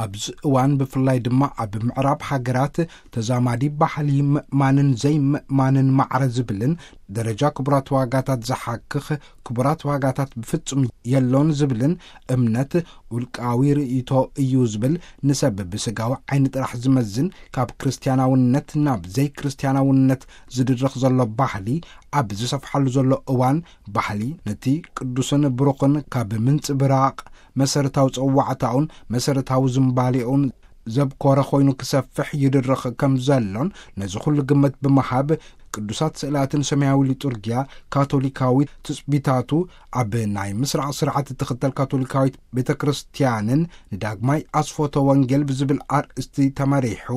ኣብዚ እዋን ብፍላይ ድማ ኣብ ምዕራብ ሃገራት ተዛማዲ ባህሊ ምእማንን ዘይምእማንን ማዕረ ዝብልን ደረጃ ክቡራት ዋጋታት ዝሓክኽ፣ ክቡራት ዋጋታት ብፍጹም የሎን ዝብልን እምነት ውልቃዊ ርእይቶ እዩ ዝብል፣ ንሰብ ብስጋዊ ዓይኒ ጥራሕ ዝመዝን፣ ካብ ክርስትያናውነት ናብ ዘይክርስቲያናውነት ዝድርኽ ዘሎ ባህሊ ኣብ ዝሰፍሓሉ ዘሎ እዋን፣ ባህሊ ነቲ ቅዱስን ብሩኽን ካብ ምንጽብራቕ መሰረታዊ ጸዋዕታኡን መሰረታዊ ዝምባሌኡን ዘብኮረ ኮይኑ ክሰፍሕ ይድርኽ ከም ዘሎን፣ ነዚ ኩሉ ግምት ብምሃብ ቅዱሳት ስእላትን ሰማያዊ ሊጡርጊያ ካቶሊካዊ ትጽቢታቱ ኣብ ናይ ምስራቕ ስርዓት እትኽተል ካቶሊካዊት ቤተ ክርስቲያንን ንዳግማይ ኣስፎቶ ወንጌል ብዝብል ኣርእስቲ ተመሪሑ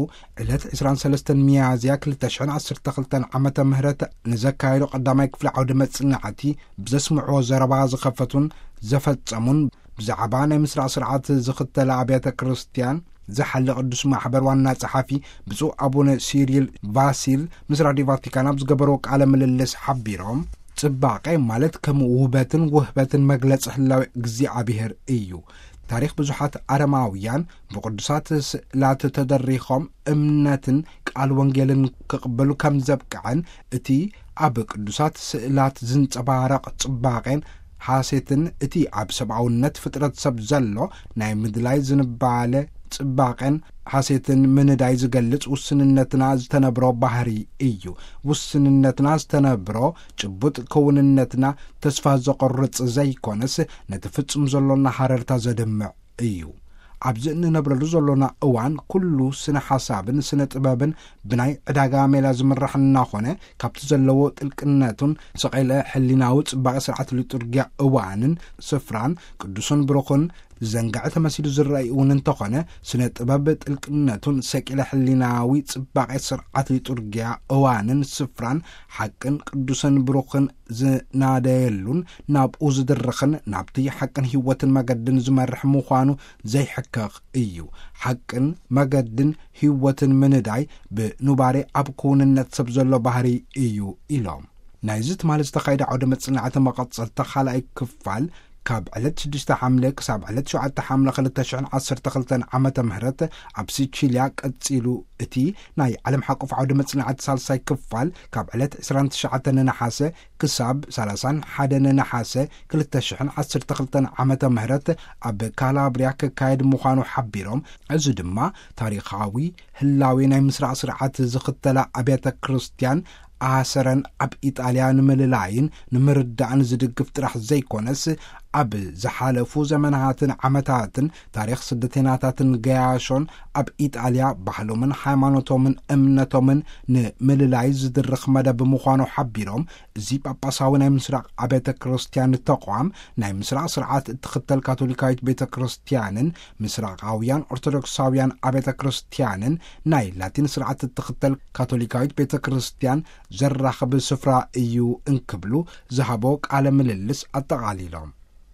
ዕለት ዕስራን ሰለስተን ሚያዝያ ክልተ ሽሕን ዓሰርተ ክልተን ዓመተ ምህረት ንዘካየዶ ቀዳማይ ክፍሊ ዓውደ መጽናዕቲ ብዘስምዕዎ ዘረባ ዝኸፈቱን ዘፈጸሙን፣ ብዛዕባ ናይ ምስራቕ ስርዓት ዝኽተላ ኣብያተ ክርስቲያን ዝሓሊ ቅዱስ ማሕበር ዋና ጸሓፊ ብፁዕ ኣቡነ ሲሪል ቫሲል ምስ ራድዮ ቫቲካን ኣብ ዝገበርዎ ቃለ ምልልስ ሓቢሮም፣ ጽባቐ ማለት ከም ውበትን ውህበትን መግለጺ ህላዌ እግዚኣብሔር እዩ። ታሪኽ ብዙሓት ኣረማውያን ብቅዱሳት ስእላት ተደሪኾም እምነትን ቃል ወንጌልን ክቕበሉ ከም ዘብቅዐን፣ እቲ ኣብ ቅዱሳት ስእላት ዝንጸባረቕ ጽባቐን ሓሴትን፣ እቲ ኣብ ሰብኣውነት ፍጥረት ሰብ ዘሎ ናይ ምድላይ ዝንባለ ጽባቐን ሓሴትን ምንዳይ ዝገልጽ ውስንነትና ዝተነብሮ ባህሪ እዩ። ውስንነትና ዝተነብሮ ጭቡጥ ክውንነትና ተስፋ ዘቑርጽ ዘይኮነስ፣ ነቲ ፍጹም ዘሎና ሃረርታ ዘድምዕ እዩ። ኣብዚ እንነብረሉ ዘሎና እዋን፣ ኩሉ ስነ ሓሳብን ስነ ጥበብን ብናይ ዕዳጋ ሜላ ዝምራሕ እናኾነ፣ ካብቲ ዘለዎ ጥልቅነቱን ሰቐለ ሕሊናዊ ጽባቐ ስርዓት ሊጡርጊያ እዋንን ስፍራን ቅዱስን ብሩኽን ዝዘንግዐ ተመሲሉ ዝረኣይ እውን እንተኾነ፣ ስነ ጥበብ ጥልቅነቱን ሰቂለ ሕሊናዊ ጽባቐ ስርዓት ሊጡርጊያ እዋንን ስፍራን ሓቅን ቅዱስን ብሩኽን ዝናደየሉን ናብኡ ዝድርኽን ናብቲ ሓቅን ህይወትን መገድን ዝመርሕ ምዃኑ ዘይሕከኽ እዩ። ሓቅን መገድን ህይወትን ምንዳይ ብኑባሬ ኣብ ክውንነት ሰብ ዘሎ ባህሪ እዩ ኢሎም። ናይዚ ትማሊ ዝተኻየደ ዓውደ መጽናዕቲ መቐጸልታ ካልኣይ ክፋል ካብ ዕለት ሽዱሽተ ሓምለ ክሳብ ዕለት ሸውዓተ ሓምለ ክልተ ሽሕን ዓሰርተ ክልተን ዓመተ ምህረት ኣብ ሲቺልያ ቀጺሉ፣ እቲ ናይ ዓለም ሓቆፍ ዓውደ መጽናዕቲ ሳልሳይ ክፋል ካብ ዕለት ዕስራን ትሽዓተን ነሓሰ ክሳብ ሰላሳን ሓደን ነሓሰ ክልተ ሽሕን ዓሰርተ ክልተን ዓመተ ምህረት ኣብ ካላብሪያ ክካየድ ምዃኑ ሓቢሮም፣ እዚ ድማ ታሪኻዊ ህላዌ ናይ ምስራቕ ስርዓት ዝኽተላ ኣብያተ ክርስቲያን ኣሰረን ኣብ ኢጣልያ ንምልላይን ንምርዳእን ዝድግፍ ጥራሕ ዘይኮነስ፣ ኣብ ዝሓለፉ ዘመናትን ዓመታትን ታሪኽ ስደተኛታትን ገያሾን ኣብ ኢጣልያ ባህሎምን ሃይማኖቶምን እምነቶምን ንምልላይ ዝድርኽ መደብ ምዃኑ ሓቢሮም፣ እዚ ጳጳሳዊ ናይ ምስራቕ ኣብያተ ክርስቲያን ተቋም ናይ ምስራቕ ስርዓት እትኽተል ካቶሊካዊት ቤተ ክርስቲያንን ምስራቓውያን ኦርቶዶክሳውያን ኣብያተ ክርስቲያንን ናይ ላቲን ስርዓት እትኽተል ካቶሊካዊት ቤተ ክርስቲያን ዘራኽብ ስፍራ እዩ እንክብሉ ዝሃቦ ቃለ ምልልስ ኣጠቓሊሎም።